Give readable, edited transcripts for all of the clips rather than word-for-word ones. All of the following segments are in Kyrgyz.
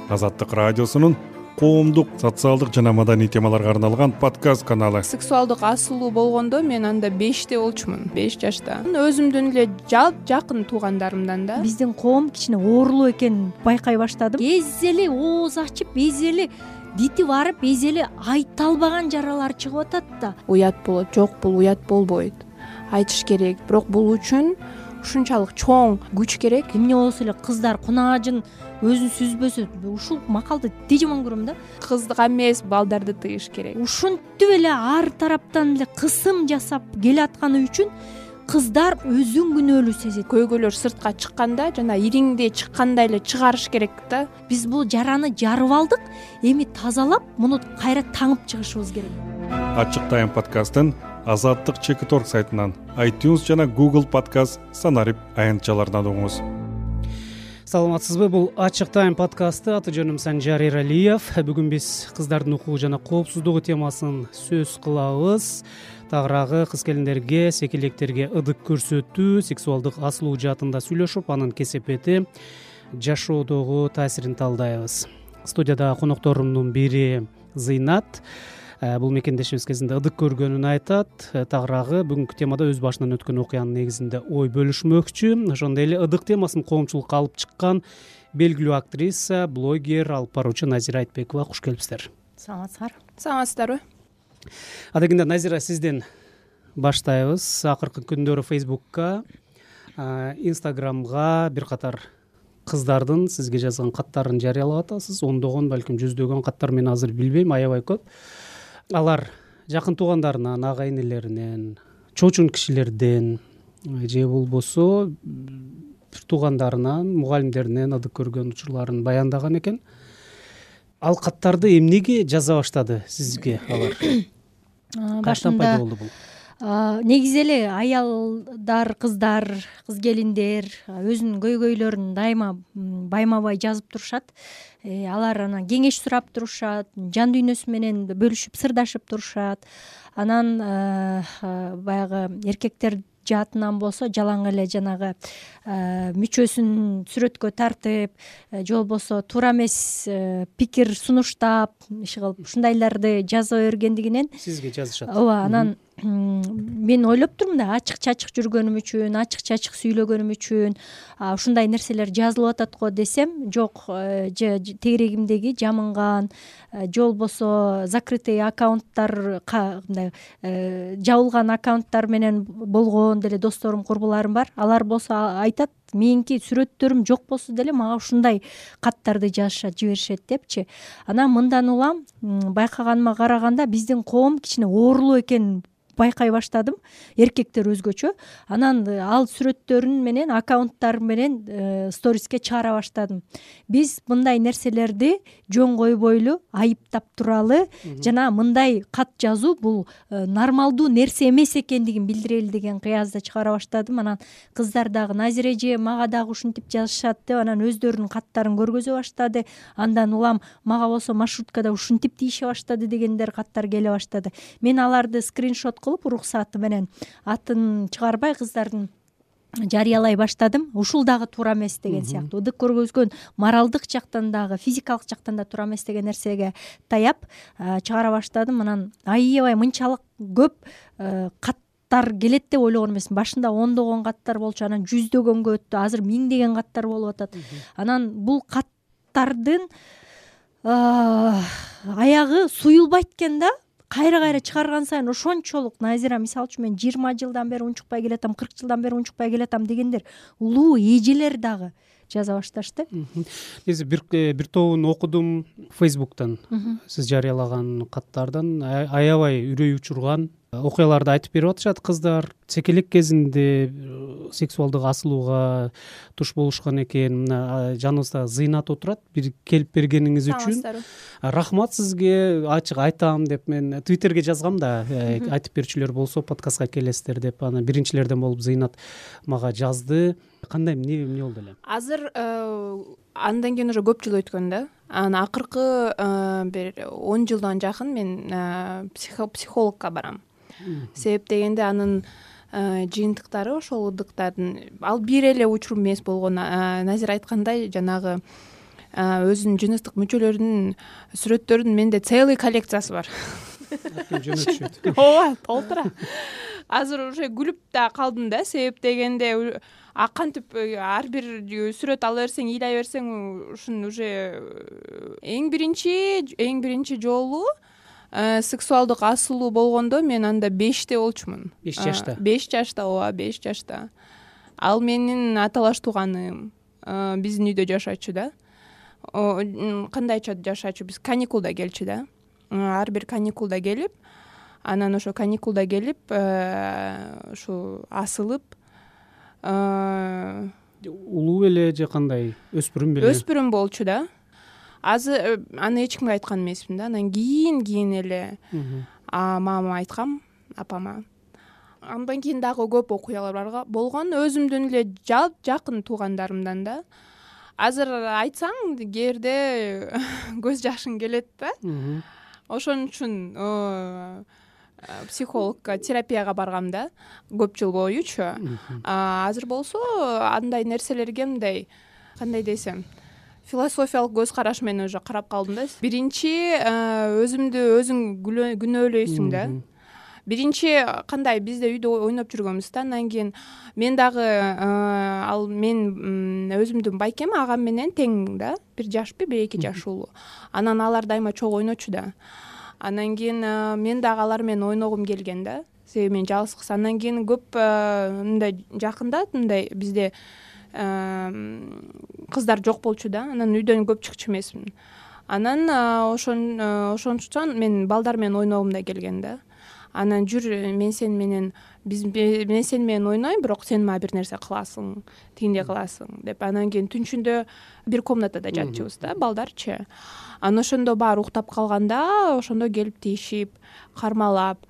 Азаттык радиосунун коомдук, социалдык жана маданий темаларга арналган подкаст каналы. Сексуалдык асылуу болгондо мен анда 5те болчумун, 5 жашта. Өзүмдүн эле жакын туугандарымдан да. Биздин коом кичине оорулуу экенин байкай баштадым. Эз эле ооз ачып, эз эле дити барып, эз эле айта албаган жаралар чыгып атат да. Уят болот, жок бул уят болбойт. Айтыш керек, бирок бул үчүн ушунчалык чоң күч керек. Эмне болсо эле кыздар кунаажын өзүн сүзбөсө, ушул макалды тежемон көрөм да. Кызга эмес, балдарды тыйыш керек. Ушинтип эле ар тараптан эле кысым жасап келатканы үчүн кыздар өзүн күнөөлүү сезет. Көйгөйлөр сыртка чыкканда жана ириңде чыккандай эле чыгарыш керек да. Биз бул жараны жарып алдык, эми тазалап, муну кайра таңып чыгышыбыз керек. Ачык Тайм подкастын Азаттык Чекиторг сайтынан, iTunes жана Google Podcast санарип аянтчаларынан угуңуз. Саламатсызбы, бул Ачык Тайм подкасты. Аты жөнүм Санжар Эралиев. Бүгүн биз кыздардын укугу жана коопсуздугу темасын сөз кылабыз. Тагыраагы кыз келиндерге, секелектерге ыдык көрсөтүү, сексуалдык асылуу жаатында сүйлөшүп, анын кесепети, жашоодогу таасирин талдайбыз. Студияда конокторумдун бири Зыйнат. Бул мекендешибиз кезинде ыдык көргөнүн айтат. Тагыраагы бүгүнкү темада өз башынан өткөн окуянын негизинде ой бөлүшмөкчү. Ошондой эле ыдык темасын коомчулукка алып чыккан белгилүү актриса, блогер, алып баруучу Назира Айтбекова. Куш келипсиздер. Саламатсыздарбы? Адегенде Назира, сизден баштайбыз. Акыркы күндөрү Facebook'ка, Instagram'га бир катар кыздардын сизге жазган каттарын жарыялап атасыз. Ондогон, балким жүздөгөн каттар, мен азыр билбейм, аябай көп. Алар жакын туугандарынан, ага энелеринен, чоочун кишилерден же болбосо туугандарынан, мугалимдеринен ыдык көргөн учурларын баяндаган экен. Ал каттарды эмнеге жаза баштады сизге алар? Качтан пайда болду бул? Негизи эле аялдар, кыздар, кыз келиндер өзүнүн көйгөйлөрүн дайыма байма-бай жазып турушат. Алар анан кеңеш сурап турушат, жан дүйнөсү менен бөлүшүп, сырдашып турушат. Анан баягы эркектер жаатынан болсо жалаң эле жанагы мүчөсүн сүрөткө тартып, же болбосо туура эмес пикир сунуштап, иши кылып ушундайларды жаза бергендигинен сизге жазышат. Ооба, анан мен ойлоп турмун да, ачык-чачык жүргөнүм үчүн, ачык-чачык сүйлөгөнүм үчүн ушундай нерселер жазылып атат го десем, жок, тегерегимдеги жамынган, же болбосо закрытый аккаунттар, мындай жабылган аккаунттар менен болгон деле досторум, курбуларым бар. Алар болсо айтат, меники сүрөттөрүм жок болсо деле мага ушундай каттарды жазышат, жиберишет депчи. Анан мындан улам байкаганыма караганда биздин коом кичине оорулуу экенин байкай баштадым, эркектер өзгөчө. Анан ал сүрөттөрүн менен, аккаунттар менен сториске чыгара баштадым. Биз мындай нерселерди жөн койбойлу, айыптап туралы жана мындай кат жазуу бул нормалдуу нерсе эмес экендигин билдирели деген кыязда чыгара баштадым. Анан кыздар дагы Назира эже мага дагы ушинтип жазышат деп, анан өздөрүнүн каттарын көргөзө баштады. Андан улам мага болсо маршруткада ушинтип тийише баштады дегендер каттар келе баштады. Мен аларды скриншот кылып, уруксаты менен атын чыгарбай кыздардын жарыялай баштадым. Ушул дагы туура эмес деген сыяктуу. Ыдык көргөзгөн моралдык жактан дагы, физикалык жактан да туура эмес деген нерсеге таяп чыгара баштадым. Анан аябай мынчалык көп каттар келет деп ойлогон эмесмин. Башында ондогон каттар болчу, анан жүздөгөнгө өттү, азыр миңдеген каттар болуп атат. Анан бул каттардын аягы суюлбайт экен да. Кайра чыгарган сайын ошончолук Назира, мисалы үчүн мен 20 жылдан бери унчукпай келатам, 40 жылдан бери унчукпай келатам дегендер улуу эжелер дагы жаза башташты. Негизи бир тобун окудум Facebook'тан. Сиз жарыялаган каттардан аябай үрөй учурган окуяларды айтып берип атышат кыздар. Секелек кезинде сексуалдык асылууга туш болушкан экен. Жаныбызда Зыйнат отурат. Бир келип бергениңиз үчүн рахмат сизге. Ачык айтам деп мен Twitter'ге жазгам да, айтып берүүчүлөр болсо подкастка келесиздер деп. Анан биринчилерден болуп Зыйнат мага жазды. Кандай эмне болду эле? Азыр андан кийин уже көп жыл өткөн да. Анан акыркы бир 10 жылдан жакын мен психологко барам. Себеп дегенде анын жыйынтыктары ошол ыдыктардын ал бир эле учур эмес болгон. Назир айткандай жанагы өзүнүн жыныстык мүчөлөрүнүн сүрөттөрүнүн менде целый коллекциясы бар. Жөнөтүшөт. ооба, толтура. Азыр уже күлүп да калдым да, себеп дегенде кантип ар бир сүрөт ала берсең, ыйлай берсең, ушун уже эң биринчи жолу сексуалдык асылуу болгондо мен анда 5те болчумун. 5 жашта. 5 жашта, ооба, 5 жашта. Ал менин аталаш тууганым, биздин үйдө жашачу да. Кандайча жашачу, биз каникулда келчү да. Ар бир каникулда келип, анан ошо каникулда келип, ушу асылып, улуу беле же кандай, өспүрүм беле? Өспүрүм болчу да. Азыр аны эч кимге айткан эмесмин да. Анан кийин эле мамама айткам, апама. Андан кийин дагы көп окуялар болгон, өзүмдүн эле жакын туугандарымдан да. Азыр айтсаң, кээде көз жашың келет да. Ошон үчүн психологко, терапияга баргам да, көп жыл боючу. Азыр болсо андай нерселерге мындай, кандай десем, философиялык көз караш менен уже карап калдым да. Биринчи өзүң күнөөлөйсүң да. Биринчи кандай, бизде үйдө ойноп жүргөнбүз да. Андан кийин мен дагы мен өзүмдүн байкем агам менен тең да. 1 жашпы, 1-2 жаш улуу. Анан алар дайыма чогуу ойночу да. Андан кийин мен дагы алар менен ойногум келген да. Себеби мен жалгыз. Андан кийин көп мындай жакында мындай бизде кыздар жок болчу да. Анан үйдөн көп чыкчу эмесмин. Анан ошончон мен балдар менен ойногум да келген да. Анан жүр, мен сен менен ойнойм, бирок сен мага бир нерсе кыласың, тигиндей кыласың деп. Анан кийин түнчүндө бир комнатада жатчубуз да, балдарчы. Анан ошондо баары уктап калганда, ошондо келип тийишип, кармалап,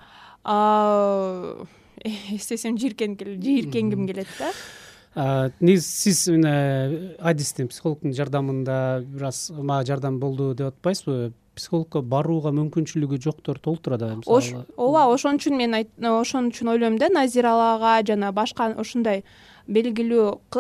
эстесем жийиркенгим келет да. Сиз адистин, психологдун жардамында бир аз мага жардам болду деп атпайсызбы? Психологко барууга мүмкүнчүлүгү жоктор толтура да, мисалы. Ооба, ошон үчүн ойлойм да, Назиралага жана башка ушундай белгилүү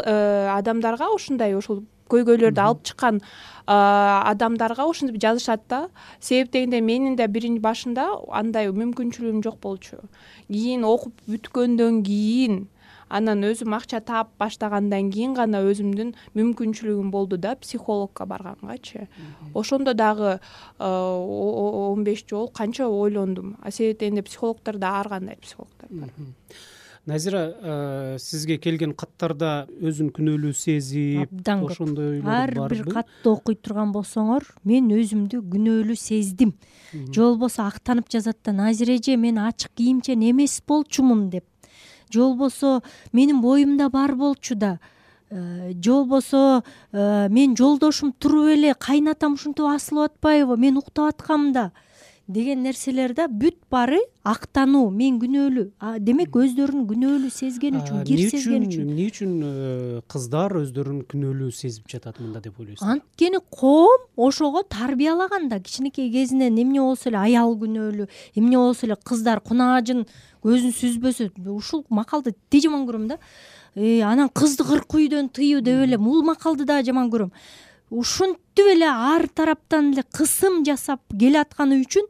адамдарга, ушул көйгөйлөрдү алып чыккан адамдарга ушинтип жазышат да. Себеп дегенде менин да биринчи башында андай мүмкүнчүлүгүм жок болчу. Кийин окуп бүткөндөн кийин, анан өзүм акча таап баштагандан кийин гана өзүмдүн мүмкүнчүлүгүм болду да, психологко баргангачы. Ошондо дагы 15 жол канча ойлондум. Себеп дегенде психологдордо ар кандай психологдор бар. Назира, сизге келген каттарда өзүн күнөөлүү сезип, ошондой ар бир катты окуй турган болсоңор, мен өзүмдү күнөөлүү сездим. Же болбосо актанып жазат да, Назира эже, мен ачык кийимчен эмес болчумун деп. Же болбосо менин боюмда бар болчу да. Же болбосо мен жолдошум туруп эле, кайнатам ушинтип асылып атпайбы, мен уктап аткам да деген нерселерде бүт баары актануу, мен күнөөлүү. Демек өздөрүн күнөөлүү сезген үчүн, кир сезген үчүн. Эмне үчүн кыздар өздөрүн күнөөлүү сезип жатат мында деп ойлойсуз? Анткени коом ошого тарбиялаган да. Кичинекей кезинен эмне болсо эле аял күнөөлүү, эмне болсо эле кыздар кунаажын көзүн сүзбөсө, ушул макалды тээ жаман көрөм да. Анан кызды 40 үйдөн тыюу деп эле бул макалды да жаман көрөм. Ушинтип эле ар тараптан эле кысым жасап келатканы үчүн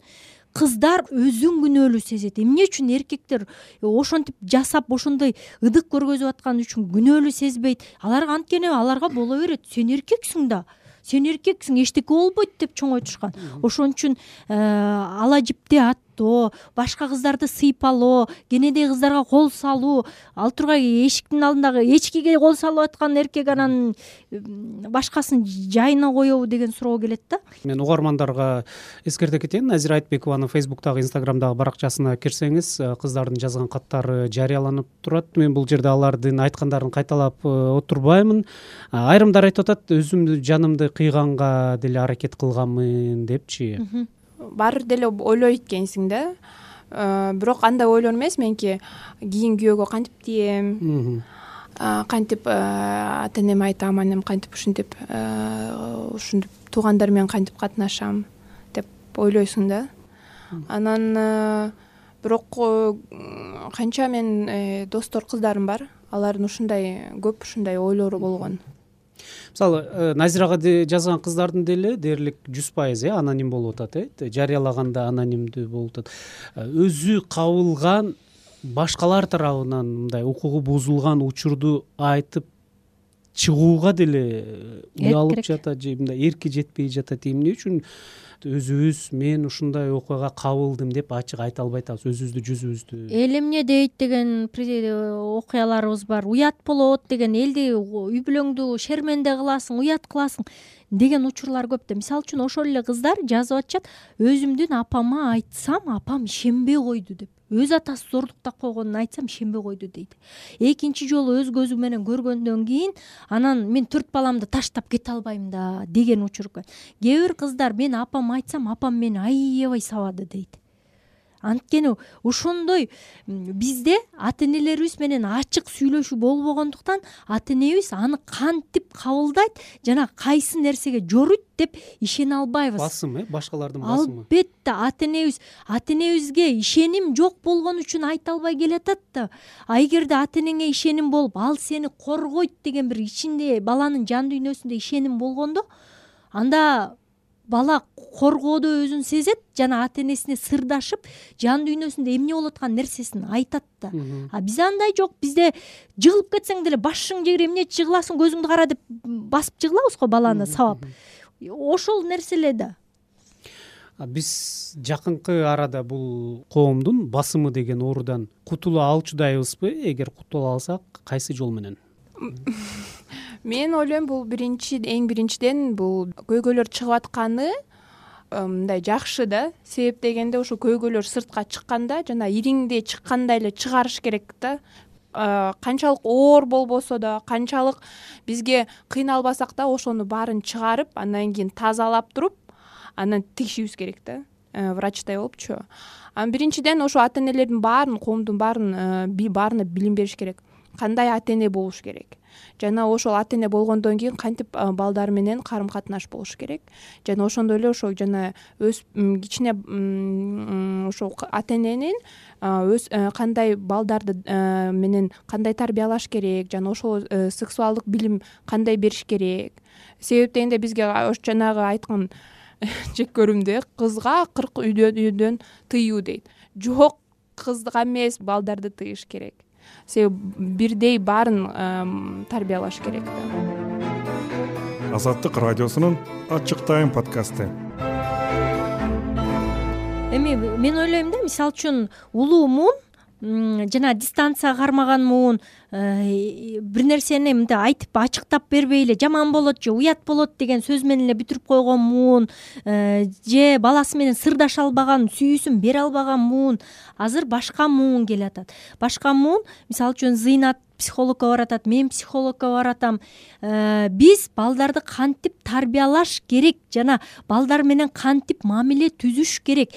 кыздар өзүн күнөөлүү сезет. Эмне үчүн эркектер ошентип жасап, ошондой ыдык көргөзүп атканы үчүн күнөөлүү сезбейт? Аларга анткени аларга боло берет. Сен эркексиң да. Сен эркексиң, эчтеке болбойт деп чоңойтушкан. Ошон үчүн ала жипти аттоо, башка кыздарды сыйпалоо, кенедей кыздарга кол салуу, ал тургай эшиктин алдындагы эчкиге кол салып аткан эркек анан башкасын жайына коебу деген суроо келет да. Мен угармандарга эскерте кетейин, Назира Айтбекованын Facebook'тагы, Instagram'дагы баракчасына кирсеңиз, кыздардын жазган каттары жарыяланып турат. Мен бул жерде алардын айткандарын кайталап отурбаймын. Айрымдар айтып атат, өзүмдү жанымды кыйганга деле аракет кылганмын депчи. Баары деле ойлойт экенсиң да. Бирок андай ойлор эмес, менки кийин күйөөгө кантип тием, кантип ата энеме айтам, анем кантип ушинтип туугандар менен кантип катнашам деп ойлойсуң да. Анан бирок канча мен достор кыздарым бар, алардын көп ушундай ойлору болгон. Мисалы Назирага жазган кыздардын деле дээрлик 100% аноним болуп атат, жарыялаганда анонимдүү болуп атат. Өзү кабылган башкалар тарабынан мындай укугу бузулган учурду айтып чыгууга деле уялып жатат же мындай эрки жетпей жатат. Эмне үчүн өзүбүз мен ушундай окуяга кабылдым деп ачык айта албай атабыз, өзүбүздү жүзүбүздү? Эл эмне дейт деген окуяларыбыз бар. Уят болот деген, элди үй бүлөңдү шерменде кыласың, уят кыласың деген учурлар көп да. Мисалы үчүн ошол эле кыздар жазып атышат: өзүмдүн апама айтсам, апам ишенбей койду деп. Өз атасы зордуктап койгонун айтсам ишенбей койду дейт. Экинчи жолу өз көзү менен көргөндөн кийин анан мен 4 баламды таштап кете албайм да деген учур. Кээ бир кыздар мен апама айтсам, апам мени аябай сабады дейт. Анткени ошондой бизде ата энелерибиз менен ачык сүйлөшүү болбогондуктан ата энебиз аны кантип кабылдайт жана кайсы нерсеге жоруйт деп ишене албайбыз. Басым, башкалардын басымы. Албетте ата энебизге ишеним жок болгон үчүн айта албай келатат да. А эгерде ата энеңе ишеним болуп, ал сени коргойт деген бир ичинде баланын жан дүйнөсүндө ишеним болгондо, анда бала коргоодо өзүн сезет жана ата энесине сырдашып, жан дүйнөсүндө эмне болуп аткан нерсесин айтат да. А бизде андай жок. Бизде жыгылып кетсең деле башың жегире эмне жыгыласың, көзүңдү кара деп басып жыгылабыз го баланы сабап. Ошол нерсе эле да. Биз жакынкы арада бул коомдун басымы деген оорудан кутула алчудайбызбы? Эгер кутула алсак, кайсы жол менен? Мен ойлойм, бул эң биринчиден бул көйгөйлөр чыгып атканы мындай жакшы да. Себеп дегенде ошо көйгөйлөр сыртка чыкканда жана ириңдей чыккандай эле чыгарыш керек да. Канчалык оор болбосо да, канчалык бизге кыйналбасак да, ошону баарын чыгарып, андан кийин тазалап туруп, анан тигишибиз керек да. Врачтай болупчу. Биринчиден ошо ата энелердин баарын, коомдун баарына билим бериш керек. Кандай ата эне болуш керек. Жана ошол ата эне болгондон кийин кантип балдар менен карым катнаш болуш керек. Жана ошондой эле ошо жана өз кичине ошо ата эненин өз кандай балдарды менен кандай тарбиялаш керек, жана ошол сексуалдык билим кандай бериш керек. Себеп дегенде бизге жанагы айткан жек көрүмдө кызга 40 үйдөн тыюу дейт. Жок, кызга эмес, балдарды тыйыш керек. Себеп бирдей баарын тарбиялаш керек да. Азаттык радиосунун Ачык Тайм подкасты. Эми мен ойлойм да, мисалы үчүн улуу муун жана дистанция кармаган муун бир нерсени мындай айтып ачыктап бербей эле жаман болот же уят болот деген сөз менен эле бүтүрүп койгон муун же баласы менен сырдаша албаган, сүйүүсүн бере албаган муун азыр башка муун келатат. Башка муун мисалы үчүн Зыйнат психологко баратат, мен психологко баратам. Биз балдарды кантип тарбиялаш керек жана балдар менен кантип мамиле түзүш керек.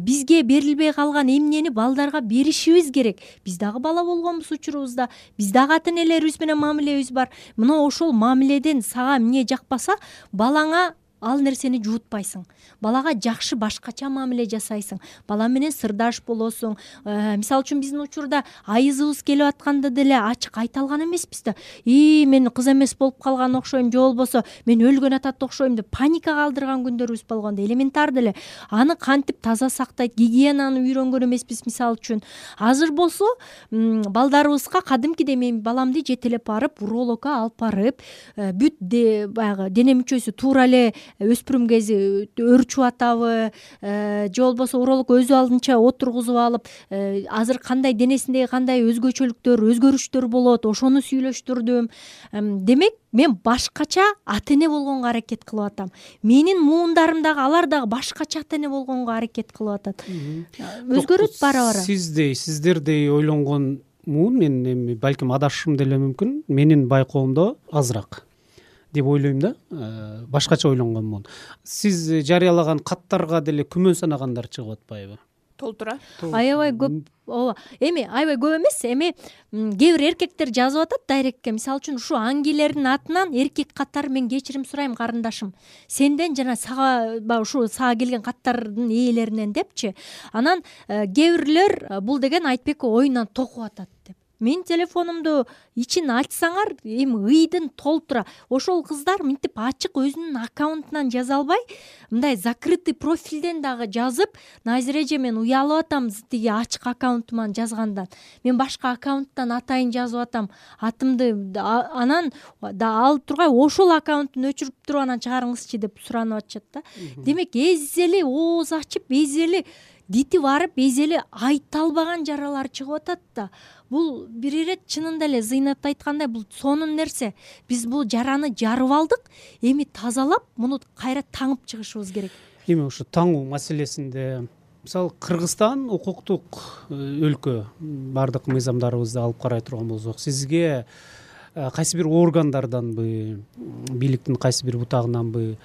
Бизге берилбей калган эмнени балдарга беришибиз керек. Биз дагы бала болгонбуз учурубузда, биз дагы ата энелерибиз менен мамилебиз бар. Мына ошол мамиледен сага эмне жакпаса, балаңа ал нерсени жуутпайсың. Балага жакшы башкача мамиле жасайсың. Бала менен сырдаш болосуң. Мисалы үчүн биздин учурда айызыбыз келип атканда деле ачык айта алган эмеспиз да. Мен кыз эмес болуп калган окшойм, же болбосо мен өлгөн атат окшойм деп паника калтырган күндөрүбүз болгондо элементар деле аны кантип таза сактайт, гигиенаны үйрөнгөн эмеспиз мисалы үчүн. Азыр болсо балдарыбызга кадимкидей мен баламды жетелеп барып, урологко алып барып, бүт баягы дене мүчөсү туура эле өспүрүм кези өрчүп атабы, же болбосо уролог өзү алдынча отургузуп алып, азыр кандай денесиндеги кандай өзгөчөлүктөр, өзгөрүштөр болот, ошону сүйлөштүрдүм. Демек, мен башкача ата эне болгонго аракет кылып атам. Менин муундарым дагы, алар дагы башкача ата эне болгонго аракет кылып атат. Өзгөрөт бара-бара. Сиздердей ойлонгон муун, мен эми балким адашышым деле мүмкүн, менин байкоомдо азыраак деп ойлойм да. Башкача ойлонгон муун. Сиз жарыялаган каттарга деле күмөн санагандар чыгып атпайбы? Толтура. Аябай көп. Ооба. Эми аябай көп эмес. Эми кээ бир эркектер жазып атат дайректке. Мисалы үчүн ушу аңгилердин атынан эркек каттары мен кечирим сурайм карындашым. Сенден жана сага ушу сага келген каттардын ээлеринен депчи. Анан кээ бирлер бул деген Айтбек оюнан токуп атат деп. Менин телефонумду ичин ачсаңар эми ыйдын толтура. Ошол кыздар мынтип ачык өзүнүн аккаунтунан жаза албай, мындай закрытый профилден дагы жазып, Назира эже мен уялып атам тиги ачык аккаунтуман жазгандан. Мен башка аккаунттан атайын жазып атам. Атымды анан да алып тургай ошол аккаунттун өчүрүп туруп анан чыгарыңызчы деп суранып атышат да. Демек эзели ооз ачып, эзели дити барып, эзели айта албаган жаралар чыгып атат да. Бул бир ирет чынында эле Зыйнат айткандай, бул сонун нерсе. Биз бул жараны жарып алдык, эми тазалап, муну кайра таңып чыгышыбыз керек. Эми ушу таңуу маселесинде мисалы Кыргызстан укуктук өлкө, бардык мыйзамдарыбызды алып карай турган болсок, сизге кайсы бир органдарданбы, бийликтин кайсы бир бутагынанбы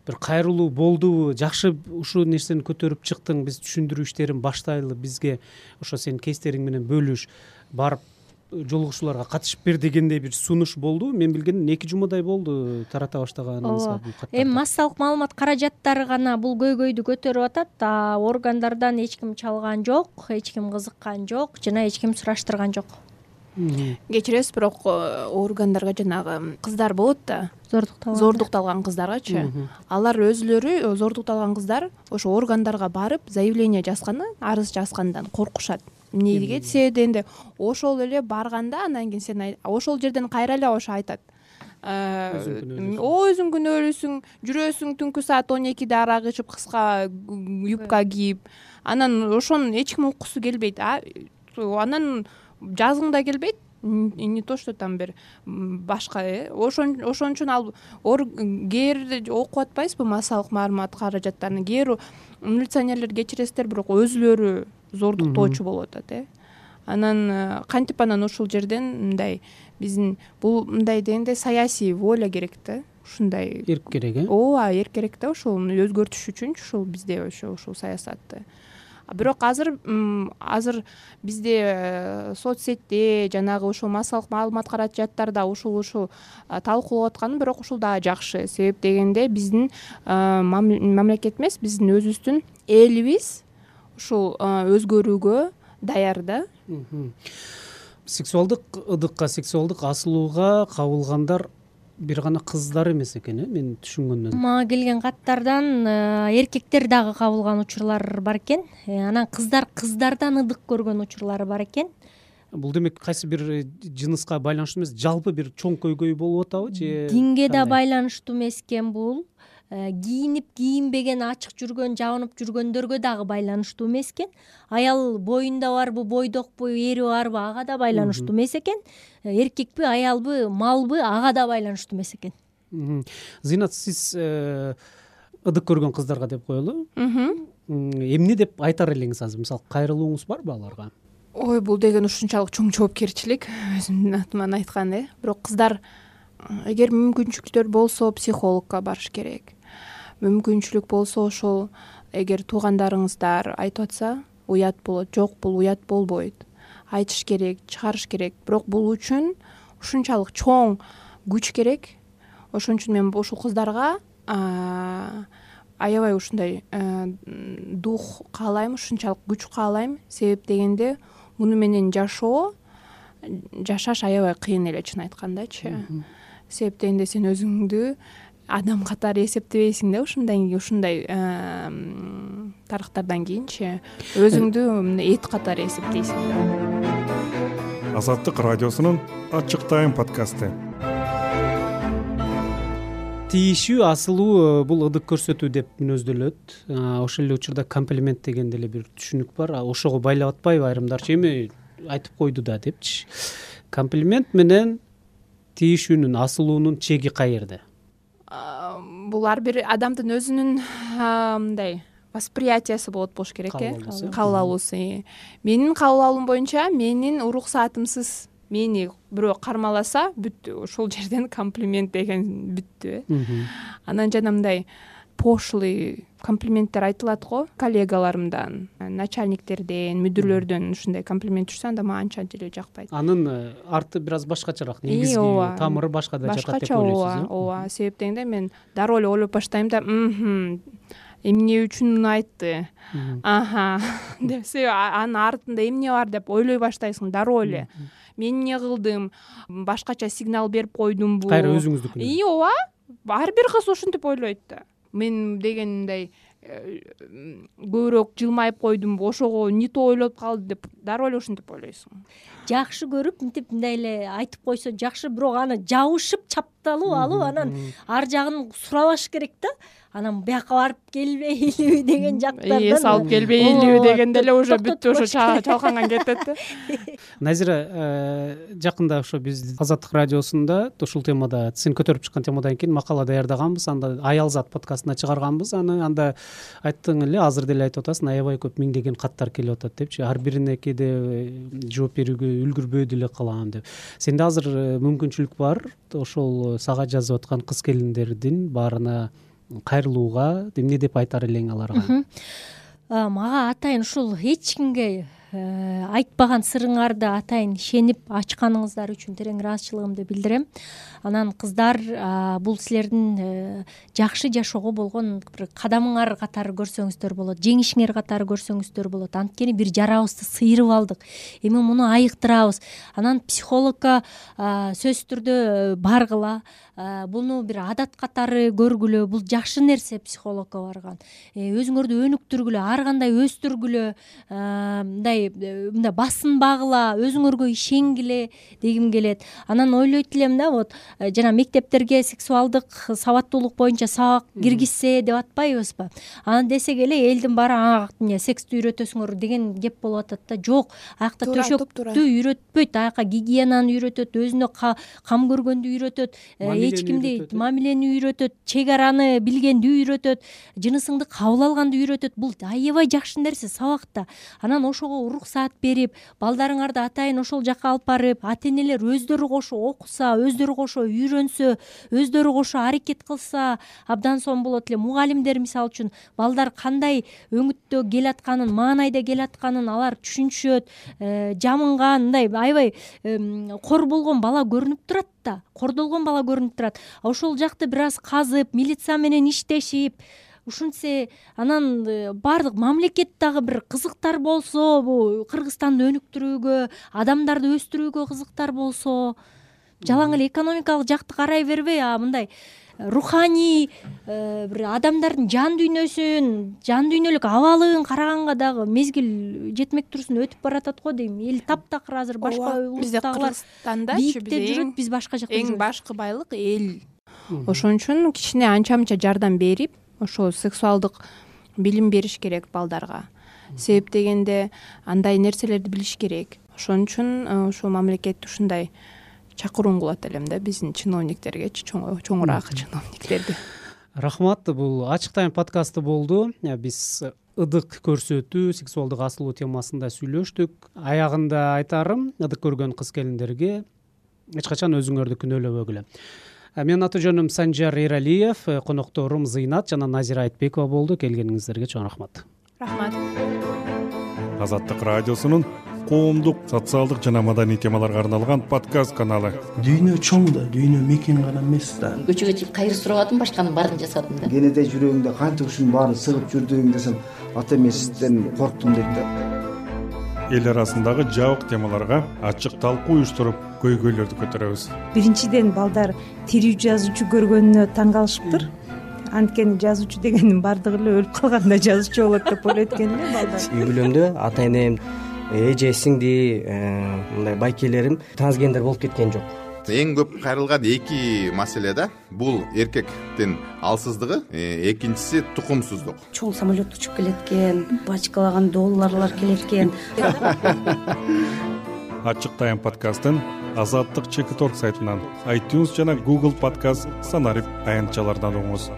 бир кайрылуу болдубу? Жакшы ушул нерсени көтөрүп чыктың, биз түшүндүрүү иштерин баштайлы, бизге ошо сенин кейстериң менен бөлүш, барып жолугушууларга катышып бер дегендей бир сунуш болду. Мен билгенден 2 жумадай болду тарата баштаганыңызга бул каттарды. Эми массалык маалымат каражаттары гана бул көйгөйдү көтөрүп атат. Органдардан эч ким чалган жок, эч ким кызыккан жок, жана эч ким сураштырган жок. Кечиресиз, бирок органдарга жанагы кыздар болот да, зордукталган кыздаргачы. Алар өзүлөрү зордукталган кыздар ошо органдарга барып заявление жазганы, арыз жазгандан коркушат. Эмнеге десе дегенде ошол эле барганда анан кийин сен ошол жерден кайра эле ошо айтат. Өзүң күнөөлүүсүң, жүрөсүң түнкү саат 12де арак ичип, кыска юбка кийип, анан ошону эч ким уккусу келбейт. Анан жазгың да келбейт, не то что там бир башка. Ошон үчүн ал кээ окуп атпайсызбы массалык маалымат каражаттарын? Кээ милиционерлер кечиресиздер, бирок өзүлөрү зордуктоочу болуп атат. Анан кантип анан ушул жерден мындай биздин бул мындай дегенде саясий воля керек да. Ушундай эрк керек, ооба, эрк керек да. Ошол өзгөртүш үчүнчү ушул бизде ушул саясатты. Бирок азыр бизде соцсетте жанагы ушул массалык маалымат каражаттарда ушул талкуулап атканы, бирок ушул дагы жакшы. Себеп дегенде биздин мамлекет эмес, биздин өзүбүздүн элибиз ушул өзгөрүүгө даяр да. Сексуалдык ыдыкка, сексуалдык асылууга кабылгандар бир гана кыздар эмес экен, мен түшүнгөндөн. Мага келген каттардан эркектер дагы кабылган учурлар бар экен. Анан кыздардан ыдык көргөн учурлары бар экен. Бул демек кайсы бир жыныска байланыштуу эмес, жалпы бир чоң көйгөй болуп атабы же? Динге да байланыштуу эмес экен бул. Кийинип кийинбеген, ачык жүргөн, жабынып жүргөндөргө дагы байланыштуу эмес экен. Аял боюнда барбы, бойдокпу, эри барбы, ага да байланыштуу эмес экен. Эркекпи, аялбы, малбы, ага да байланыштуу эмес экен. Зыйнат, сиз ыдык көргөн кыздарга деп коелу. Эмне деп айтар элеңиз азыр? Мисалы, кайрылууңуз барбы аларга? Ой, бул деген ушунчалык чоң жоопкерчилик, өзүмдүн атыман айтканда. Бирок кыздар эгер мүмкүнчүлүктөр болсо психологко барыш керек. Мүмкүнчүлүк болсо ошол эгер туугандарыңыздар айтып атса, уят болот. Жок, бул уят болбойт. Айтыш керек, чыгарыш керек. Бирок бул үчүн ушунчалык чоң күч керек. Ошон үчүн мен ушул кыздарга аябай ушундай дух каалайм, ушунчалык күч каалайм. Себеп дегенде муну менен жашаш аябай кыйын эле, чын айткандачы. Себеп дегенде сен өзүңдү адам катары эсептебейсиң да, ушундай тарыхтардан кийинчи өзүңдү эт катары эсептейсиң да. Азаттык радиосунун Ачык Тайм подкасты. Тийишүү, асылуу бул ыдык көрсөтүү деп мүнөздөлөт. Ошол эле учурда комплимент деген деле бир түшүнүк бар. Ошого байлап атпайбы айрымдарчы? Эми айтып койду да депчи. Комплимент менен тийишүүнүн, асылуунун чеги каерде? Бул ар бир адамдын өзүнүн мындай восприятиясы болуш керек, кабыл алуусу. Менин кабыл алуум боюнча, менин уруксаатымсыз мени бирөө кармаласа, бүттү. Ошол жерден комплимент деген бүттү. Анан жана мындай пошлый комплименттер айтылат го коллегаларымдан, начальниктерден, мүдүрлөрдөн ушундай комплимент жүрсө, анда мага анча деле жакпайт. Анын арты бир аз башкачараак, негизги тамыры башка да жакат деп ойлойсуз. Ооба. Себеп дегенде мен дароо эле ойлоп баштайм да, эмне үчүн айтты деп анын артында эмне бар деп ойлой баштайсың дароо эле. Мен эмне кылдым, башкача сигнал берип койдумбу, кайра өзүңүздүкү? Ооба, ар бир кыз ушинтип ойлойт да. Мен дегендей көбүрөөк жылмайып койдумбу, ошого не то ойлоп калды деп дароо эле ушинтип ойлойсуң. Жакшы көрүп мынтип мындай эле айтып койсо жакшы, бирок аны жабышып чапталып алып анан ар жагын сурабаш керек да. Анан бияка барып келбейлиби деген жактардан Эс алып келбейлиби дегенде эле уже бүттү, ошо чалканган кетет да. Назира, жакында ошо биз Азаттык радиосунда ушул темада, сен көтөрүп чыккан темадан кийин макала даярдаганбыз. Анда Аялзат подкастына чыгарганбыз аны. Анда айттың эле, азыр деле айтып атасың, аябай көп миңдеген каттар келип атат депчи. Ар бирине кээде жооп берүүгө үлгүрбөй деле калам деп. Сенде азыр мүмкүнчүлүк бар ошол сага жазып аткан кыз келиндердин баарына кайрылууга, эмне деп айтар элең аларга? Мага атайын ушул эч кимге айтпаган сырыңарды атайын ишенип ачканыңыздар үчүн терең ыраазычылыгымды билдирем. Анан кыздар, бул силердин жакшы жашоого болгон бир кадамыңар катары көрсөңүздөр болот, жеңишиңер катары көрсөңүздөр болот. Анткени бир жарабызды сыйрып алдык, эми муну айыктырабыз. Анан психологко сөзсүз түрдө баргыла, буну бир адат катары көргүлө, бул жакшы нерсе психологко барган. Өзүңөрдү өнүктүргүлө, ар кандай өстүргүлө, мындай басынбагыла, өзүңөргө ишенгиле дегим келет. Анан ойлойт элем да, вот жана мектептерге сексуалдык сабаттуулук боюнча сабак киргизсе деп атпайбызбы? Анан десек эле элдин баары эмне секстү үйрөтөсүңөр деген кеп болуп атат да. Жок, аякта төшөктү үйрөтпөйт, аяка гигиенаны үйрөтөт, өзүнө кам көргөндү үйрөтөт, эч кимди мамилени үйрөтөт, чек араны билгенди үйрөтөт, жынысыңды кабыл алганды үйрөтөт. Бул аябай жакшы нерсе сабакта. Анан ошого уруксаат берип, балдарыңарды атайын ошол жака алып барып, ата-энелер өздөрү кошо окуса, өздөрү кошо үйрөнсө, өздөрү кошо аракет кылса абдан сонун болот эле. Мугалимдер мисалы үчүн балдар кандай өңүттө келатканын, маанайда келатканын алар түшүнүшөт, жамынган, мындай аябай кор болгон бала көрүнүп турат да, кордолгон бала көрүнүп турат. Ошол жакты бир аз казып, милиция менен иштешип, ушинтсе анан баардык мамлекет дагы бир кызыктар болсо, бул Кыргызстанды өнүктүрүүгө, адамдарды өстүрүүгө кызыктар болсо, жалаң эле экономикалык жакты карай бербей, мындай руханий бир адамдардын жан дүйнөлүк абалын караганга дагы мезгил жетмек турсун өтүп баратат го дейм. Эл таптакыр азыр башка улуттагылар биикте жүрөт, биз башка жакта жүрөбүз. Эң башкы байлык эл. Ошон үчүн кичине анча-мынча жардам берип, ошо сексуалдык билим бериш керек балдарга. Себеп дегенде андай нерселерди билиш керек. Ошон үчүн ошо мамлекет ушундай чакыруун кылат элем да биздин чиновниктергечи, чоңураак чиновниктерди. Рахмат. Бул Ачык Тайм подкасты болду. Биз ыдык көрсөтүү, сексуалдык асылуу темасында сүйлөштүк. Аягында айтарым, ыдык көргөн кыз келиндерге эч качан өзүңөрдү күнөөлөбөгүлө. Менин аты жөнүм Санжар Эралиев, конокторум Зыйнат жана Назира Айтбекова болду. Келгениңиздерге чоң рахмат. Рахмат. Азаттык радиосунун коомдук, социалдык жана маданий темаларга арналган подкаст каналы. Дүйнө чоң да, дүйнө мекен гана эмес да. Көчөгө чыгып кайыр сурабадым, башканын баарын жасадым да. Кенеде жүрөгүңдө канча ушунун баарын сыгып жүрдүң десем, ата мен сизден корктум дейт да. Эл арасындагы жабык темаларга ачык талкуу уюштуруп, көйгөйлөрдү көтөрөбүз. Биринчиден балдар тирүү жазуучу көргөнүнө таң калышыптыр. Анткени жазуучу дегендин баардыгы эле өлүп калганда жазуучу болот деп ойлойт экен эле балдар. Үй бүлөмдө ата-энем, эже, сиңди, мындай байкелерим трансгендер болуп кеткен жок. Эң көп кайрылган эки маселе да. Бул эркектин алсыздыгы, экинчиси тукумсуздук. Чоң самолет учуп келет экен, бачкалаган долларлар келет экен. Ачык Тайм подкастын Азаттык Чекиторг сайтынан, iTunes жана Google подкаст санарип аянтчалардан угуңуз.